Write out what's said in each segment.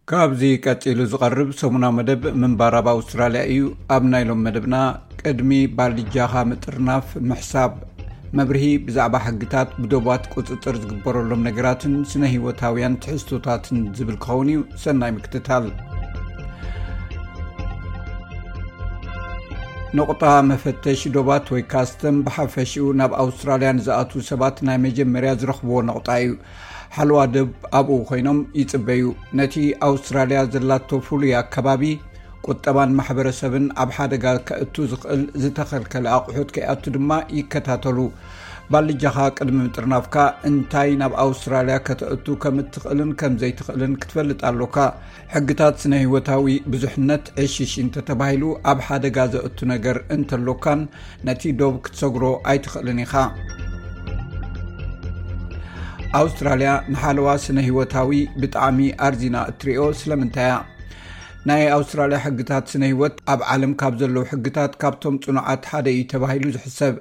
ካብዚ ቀጺሉ ዝቐርብ ሰሙናዊ መደብ ምንባር ኣብ ኣውስትራልያ እዩ። ኣብ ናይ ሎም መደብና፣ ቅድሚ ባልጃኻ ምጥርናፍ ምሕሳብ፣ መብርሂ ብዛዕባ ሕግታት ብዶባት ቁጽጽር ዝግበረሎም ነገራትን ስነ ህይወታውያን ትሕዝቶታትን ዝብል ክኸውን እዩ። ሰናይ ምክትታል። ነቑጣ መፈተሽ ዶባት ወይ ካስተም ብሓፈሽኡ ናብ ኣውስትራልያ ንዝኣትዉ ሰባት ናይ መጀመርያ ዝረኽብዎ ነቑጣ እዩ። ሓለዋ ደብ ኣብኡ ኮይኖም ይጽበዩ። ነቲ ኣውስትራልያ ዘላቶ ፍሉይ ኣከባቢ፣ ቁጠባን ማሕበረሰብን ኣብ ሓደጋ ከእቱ ዝኽእል ዝተኸልከለ ኣቑሑት ከይኣቱ ድማ ይከታተሉ። ባልጃኻ ቅድሚ ምጥርናፍካ እንታይ ናብ ኣውስትራልያ ከተእቱ ከም እትኽእልን ከም ዘይትኽእልን ክትፈልጥ ኣሎካ። ሕግታት ስነ ህይወታዊ ብዙሕነት ዕሽሽ እንተተባሂሉ ኣብ ሓደጋ ዘእቱ ነገር እንተሎካን ነቲ ዶብ ክትሰግሮ ኣይትኽእልን ኢኻ። ኣውስትራልያ ንሓለዋ ስነ ህይወታዊ ብጣዕሚ ኣርዚና እትሪኦ ስለምንታይ እያ? ናይ ኣውስትራልያ ሕግታት ስነ ህይወት ኣብ ዓለም ካብ ዘለዉ ሕግታት ካብቶም ጽኑዓት ሓደ እዩ ተባሂሉ ዝሕሰብ።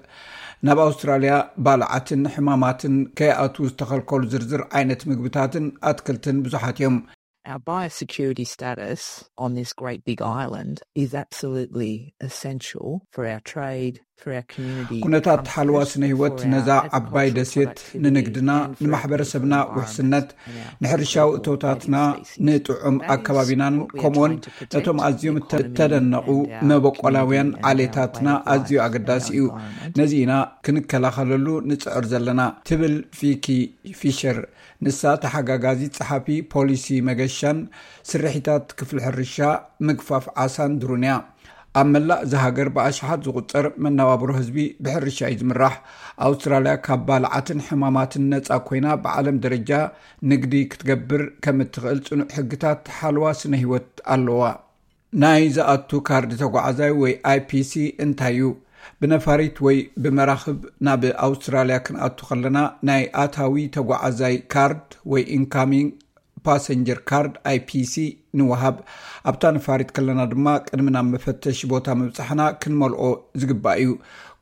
ናብ ኣውስትራልያ ባልዓትን ሕማማትን ከይኣትዉ ዝተኸልከሉ ዝርዝር ዓይነት ምግብታትን ኣትክልትን ብዙሓት እዮም። Our biosecurity status on this great big island is absolutely essential for our trade, for our community. ኩነታት ሓለዋ ስነ ህይወት ነዛ ዓባይ ደሴት ንንግድና፣ ንማሕበረሰብና ውሕስነት፣ ንሕርሻዊ እቶታትና፣ ንጥዑም ኣከባቢናን ከምኡውን ነቶም ኣዝዮም እተደነቑ መበቆላውያን ዓሌታትና ኣዝዩ ኣገዳሲ እዩ። ነዚ ኢና ክንከላኸለሉ ንጽዕር ዘለና፣ ትብል ፊኪ ፊሸር። ንሳ ተሓጋጋዚት ጸሓፊ ፖሊሲ መገሻን ስርሒታት ክፍሊ ሕርሻ፣ ምግፋፍ ዓሳን ድሩን እያ። ኣብ መላእ እዛ ሃገር ብኣሽሓት ዝቑጸር መነባብሮ ህዝቢ ብሕርሻ እዩ ዝምራሕ። ኣውስትራልያ ካብ ባልዓትን ሕማማትን ነጻ ኮይና ብዓለም ደረጃ ንግዲ ክትገብር ከም እትኽእል ጽኑዕ ሕግታት ሓለዋ ስነ ህይወት ኣለዋ። ናይ ዝኣቱ ካርድ ተጓዓዛይ ወይ ኣይፒሲ እንታይ እዩ? ብነፋሪት ወይ ብመራኽብ ናብ ኣውስትራልያ ክንኣቱ ከለና ናይ ኣታዊ ተጓዓዛይ ካርድ ወይ ኢንካሚንግ ፓሰንጀር ካርድ፣ ኣይፒሲ፣ ንወሃብ። ኣብታ ነፋሪት ከለና ድማ ቅድሚ ናብ መፈተሺ ቦታ ምብጻሕና ክንመልኦ ዝግባእ እዩ።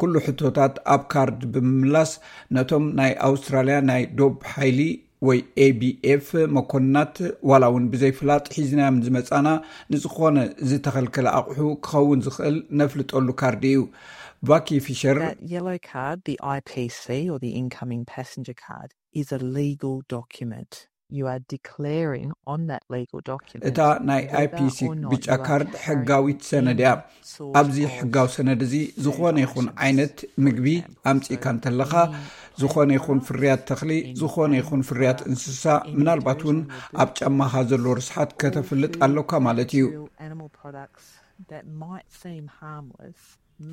ኩሉ ሕቶታት ኣብ ካርድ ብምምላስ ነቶም ናይ ኣውስትራልያ ናይ ዶብ ሓይሊ ወይ ኤቢኤፍ መኮንናት ዋላ እውን ብዘይፍላጥ ሒዝናዮም ዝመጻና ንዝኾነ ዝተኸልከለ ኣቑሑ ክኸውን ዝኽእል ነፍልጠሉ ካርድ እዩ። ቫኪ ፊሸር That yellow card, the I P C or the incoming passenger card, is a legal document. You are declaring on that legal document እታ ናይ whether ኣይፒሲ or not ብጫ you are ካርድ carrying ሕጋዊት ሰነድ እያ። any sort ኣብዚ of ሕጋዊ ሰነድ እዚ ዝኾነ ይኹን ዓይነት ምግቢ ኣምጺእካ እንተለኻ፣ ዝኾነ ይኹን ፍርያት ተኽሊ፣ ዝኾነ ይኹን ፍርያት እንስሳ፣ ምናልባት እውን ኣብ ጫማኻ ዘሎ ርስሓት ከተፍልጥ ኣለካ ማለት እዩ። Animal products that might seem harmless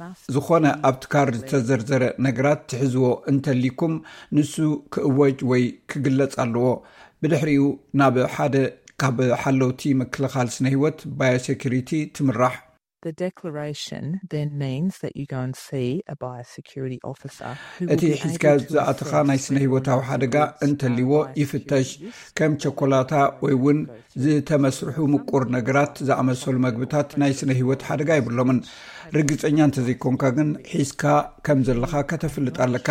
must ዝኾነ ኣብቲ ካርድ ዝተዘርዘረ ነገራት ትሕዝዎ እንተሊኩም፣ ንሱ ክእወጅ ወይ ክግለጽ ኣለዎ። ብድሕሪኡ ናብ ሓደ ካብ ሓለውቲ ምክልኻል ስነ ህይወት፣ ባዮሴኩሪቲ፣ ትምራሕ። The declaration then means that you go and see a biosecurity officer who will እቲ be ሒዝካዮ able to ዝኣተኻ assess ናይ ስነ whether ህይወታዊ or not ሓደጋ the goods እንተልይዎ are ይፍተሽ። biosecurity. ከም ቸኮላታ ወይ እውን ዝተመስርሑ ምቁር ነገራት ዝኣመሰሉ መግብታት ናይ ስነ ህይወት ሓደጋ የብሎምን። ርግጸኛ እንተዘይኮንካ ግን፣ ሒዝካ ከም ዘለኻ ከተፍልጥ ኣለካ።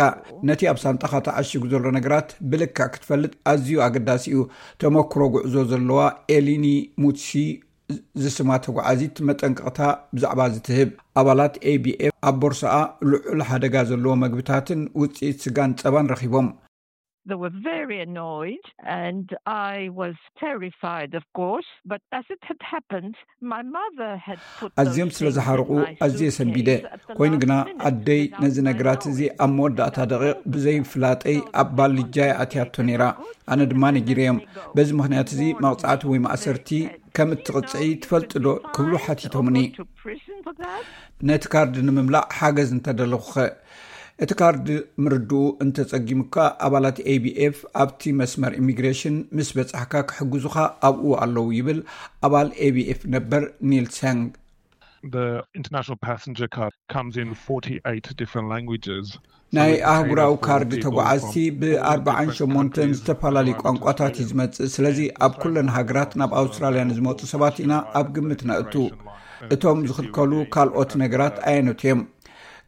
ነቲ ኣብ ሳንጣኻ ተዓሺጉ ዘሎ ነገራት ብልክዕ ክትፈልጥ ኣዝዩ ኣገዳሲ እዩ። ተመክሮ ጉዕዞ ዘለዋ ኤሊኒ ሙትሲ ዝስማ ተጓዓዚት መጠንቀቕታ ብዛዕባ እዚ ትህብ። ኣባላት ኤቢኤፍ ኣብ ቦርሳኣ ልዑል ሓደጋ ዘለዎ መግብታትን ውጽኢት ስጋን ጸባን ረኺቦም። They were very annoyed, and I was terrified, of course. But as it had happened, my mother had put those ኣዝዮም ስለ things ዝሓርቑ in my ኣዝየ ሰንቢደ። suitcase at the ኮይኑ last ግና minute ኣደይ without ነዚ my ነገራት እዚ knowledge. ኣብ መወዳእታ ደቂቕ ብዘይፍላጠይ ኣብ ባልጃይ ኣትያቶ ነይራ። ኣነ ድማ ነጊረዮም። በዚ ምኽንያት እዚ መቕጻዕቲ ወይ ማእሰርቲ ከም እትቕጽዒ ትፈልጢ ዶ ክብሉ ሓቲቶምኒ። To prison for that? ነቲ ካርድ ንምምላእ ሓገዝ እንተደለኹኸ? እቲ ካርድ ምርድኡ እንተጸጊሙካ፣ ኣባላት ኤቢኤፍ ኣብቲ መስመር ኢሚግሬሽን ምስ በጻሕካ ክሕግዙኻ ኣብኡ ኣለዉ፣ ይብል ኣባል ኤቢኤፍ ነበር ኒል ሰንግ። The international passenger card comes in forty-eight different languages. ናይ ኣህጉራዊ ካርድ ተጓዓዝቲ ብኣርባዓን ሸሞንተን ዝተፈላለዩ ቋንቋታት እዩ ዝመጽእ። ስለዚ ኣብ ኩለን ሃገራት ናብ ኣውስትራልያ ንዝመጹ ሰባት ኢና ኣብ ግምት ነእቱ። እቶም ዝኽልከሉ ካልኦት ነገራት ኣየኖት እዮም?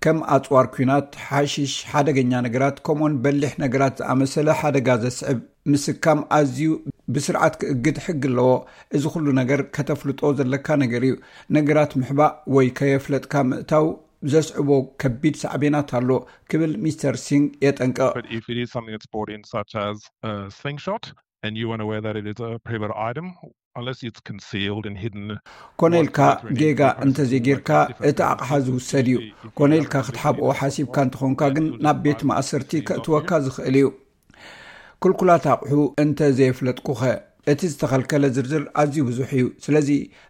ከም ኣጽዋር ኲናት፣ ሓሽሽ፣ ሓደገኛ ነገራት፣ ከምኡውን በሊሕ ነገራት ዝኣመሰለ ሓደጋ ዘስዕብ ምስካም ኣዝዩ ብስርዓት ክእግድ ሕጊ ኣለዎ። እዚ ኩሉ ነገር ከተፍልጦ ዘለካ ነገር እዩ። ነገራት ምሕባእ ወይ ከየፍለጥካ ምእታው ዘስዕቦ ከቢድ ሳዕቤናት ኣሎ ክብል ሚስተር ሲንግ የጠንቅቕ። But if it is something that's brought in, such as a slingshot, and you weren't aware that it is a prohibited item, unless it's concealed and hidden, ኮነ ኢልካ ጌጋ እንተዘይጌርካ እቲ ኣቕሓ ዝውሰድ እዩ። ኮነ ኢልካ ክትሓብኦ ሓሲብካ እንተኾንካ ግን ናብ ቤት ማእሰርቲ ከእትወካ ዝኽእል እዩ። ክልኩላት ኣቕሑ እንተ ዘየፍለጥኩኸ? እቲ ዝተኸልከለ ዝርዝር ኣዝዩ ብዙሕ እዩ። ስለዚ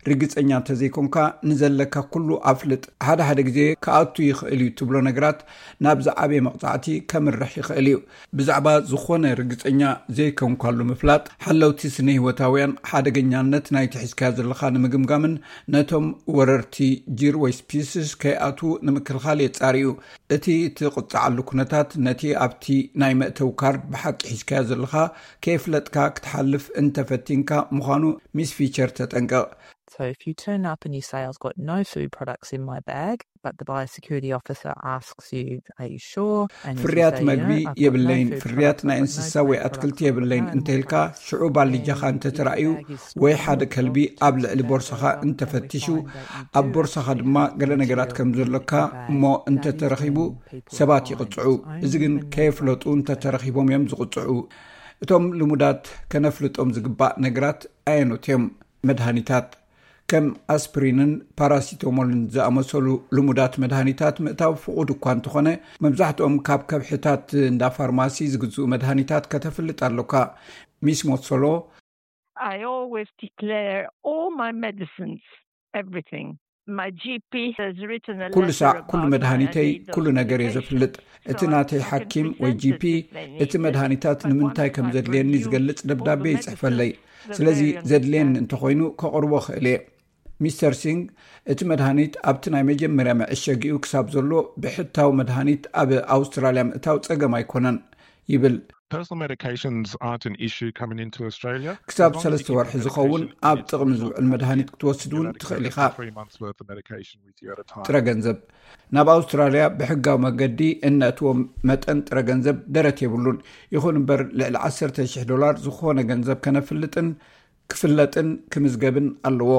ርግጸኛ እንተዘይኮንካ ንዘለካ ኩሉ ኣፍልጥ። ሓደ ሓደ ግዜ ክኣቱ ይኽእል እዩ ትብሎ ነገራት ናብ ዝዓበየ መቕጻዕቲ ከምርሕ ይኽእል እዩ። ብዛዕባ ዝኾነ ርግጸኛ ዘይኮንካሉ ምፍላጥ ሓለውቲ ስነ ህይወታውያን ሓደገኛነት ናይቲ ሒዝካዮ ዘለኻ ንምግምጋምን ነቶም ወረርቲ ጂር ወይ ስፒስስ ከይኣትዉ ንምክልኻል የጻርዩ። እቲ ትቕጻዓሉ ኩነታት ነቲ ኣብቲ ናይ መእተዊ ካርድ ብሓቂ ሒዝካዮ ዘለኻ ከየፍለጥካ ክትሓልፍ እንተፈቲንካ ምዃኑ ሚስ ፊቸር ተጠንቀቕ። So if you turn up and you say, "I've got no food products in my bag," but the biosecurity officer asks you, "Are you sure?" And if you ፍርያት say, "You መግቢ know, I've got no የብለይን፣ food ፍርያት products, ናይ I've got no እንስሳዊ plant ኣትክልቲ products on የብለይን my እንተ ኢልካ home," ሽዑ ባልጃኻ እንተ ተራእዩ ወይ ሓደ ከልቢ ኣብ ልዕሊ ቦርሳኻ እንተ ፈቲሹ ኣብ ቦርሳኻ ድማ ገለ ነገራት ከም ዘሎካ እሞ እንተ ተረኺቡ ሰባት ይቕጽዑ። እዚ ግን ከየፍለጡ እንተ ተረኺቦም እዮም ዝቕጽዑ። እቶም ልሙዳት ከነፍልጦም ዝግባእ ነገራት ኣየኖት እዮም? መድሃኒታት ከም ኣስፕሪንን ፓራሲቶሞልን ዝኣመሰሉ ልሙዳት መድሃኒታት ምእታው ፍቑድ እኳ እንተኾነ መብዛሕትኦም ካብ ከብሕታት እንዳ ፋርማሲ ዝግዝኡ መድሃኒታት ከተፍልጥ ኣሎካ። ሚስ ሞሶሎ I always declare all my medicines, everything. My G P has written a ኩሉ letter ሳዕ about ኩሉ my መድሃኒተይ I need those ኩሉ ነገር እየ medications. ዘፍልጥ። እቲ So I- ናተይ I can ሓኪም present ወይ it ጂፒ if they need እቲ it. መድሃኒታት But ንምንታይ once ከም I've ዘድልየኒ reviewed ዝገልጽ all ደብዳቤ the ይጽሕፈለይ። medicines, the ስለዚ variants ዘድልየኒ and እንተኾይኑ ከቕርቦ ክእል እየ። ሚስተር ሲንግ እቲ መድሃኒት ኣብቲ ናይ መጀመርያ መዐሸጊኡ ክሳብ ዘሎ ብሕታዊ መድሃኒት ኣብ ኣውስትራልያ ምእታው ጸገም ኣይኮነን ይብል። Personal medications aren't an issue coming into Australia. ክሳብ ሰለስተ ወርሒ ዝኸውን ኣብ ጥቕሚ ዝውዕል መድሃኒት ክትወስድ እውን ትኽእል ኢኻ። Three months worth of medication with you at a time. ጥረ ገንዘብ ናብ ኣውስትራልያ ብሕጋዊ መገዲ እነእትዎም መጠን ጥረ ገንዘብ ደረት የብሉን። ይኹን እምበር ልዕሊ ዓሰርተ ሽሕ ዶላር ዝኾነ ገንዘብ ከነፍልጥን ክፍለጥን ክምዝገብን ኣለዎ።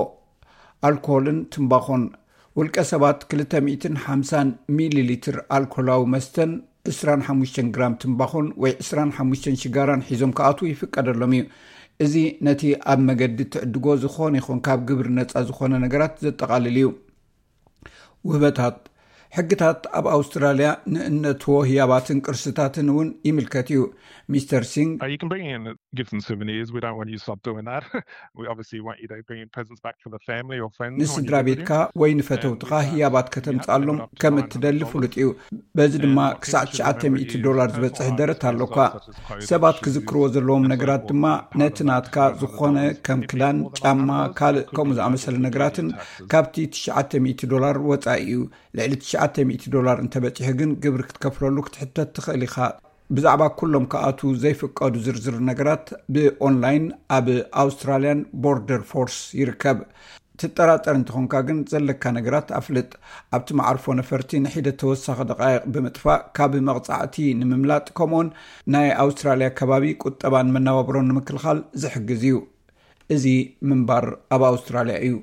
ኣልኮልን ትምባኾን ውልቀ ሰባት ክልተ ሚእትን ሓምሳን ሚሊ ሊትር ኣልኮላዊ መስተን ዕስራን ሓሙሽተን ግራም ትምባኾን ወይ ዕስራን ሓሙሽተን ሽጋራን ሒዞም ክኣትዉ ይፍቀደሎም እዩ። እዚ ነቲ ኣብ መገዲ ትዕድጎ ዝኾነ ይኹን ካብ ግብሪ ነጻ ዝኾነ ነገራት ዘጠቓልል እዩ። ውህበታት ሕግታት ኣብ ኣውስትራልያ ንእነትዎ ህያባትን ቅርስታትን እውን ይምልከት እዩ። ሚስተር ሲንግ Uh, you can bring in gifts and souvenirs. We don't want you to stop doing that. We obviously want you to bring in presents back for the family or friends. ንስድራ ቤትካ ወይ ንፈተውትኻ ህያባት ከተምጻሎም ከም እትደሊ ፍሉጥ እዩ። በዚ ድማ ክሳዕ ትሽዓተ ሚእቲ ዶላር ዝበጽሕ ደረት ኣሎካ። ሰባት ክዝክርዎ ዘለዎም ነገራት ድማ ነቲ ናትካ ዝኾነ ከም ክዳን፣ ጫማ፣ ካልእ ከምኡ ዝኣመሰለ ነገራትን ካብቲ ትሽዓተ ሚእቲ ዶላር ወጻኢ እዩ። ልዕሊ ትሽዓተ ሚእቲ ዶላር እንተበጺሑ ግን ግብሪ ክትከፍለሉ ክትሕተት ትኽእል ኢኻ። ብዛዕባ ኩሎም ክኣትዉ ዘይፍቀዱ ዝርዝር ነገራት ብኦንላይን ኣብ ኣውስትራልያን ቦርደር ፎርስ ይርከብ። ትጠራጠር እንተኾንካ ግን ዘለካ ነገራት ኣፍልጥ። ኣብቲ መዓርፎ ነፈርቲ ንሒደት ተወሳኺ ደቃይቕ ብምጥፋእ ካብ መቕጻዕቲ ንምምላጥ ከምኡውን ናይ ኣውስትራልያ ከባቢ ቁጠባን መነባብሮን ንምክልኻል ዝሕግዝ እዩ። እዚ ምንባር ኣብ ኣውስትራልያ እዩ።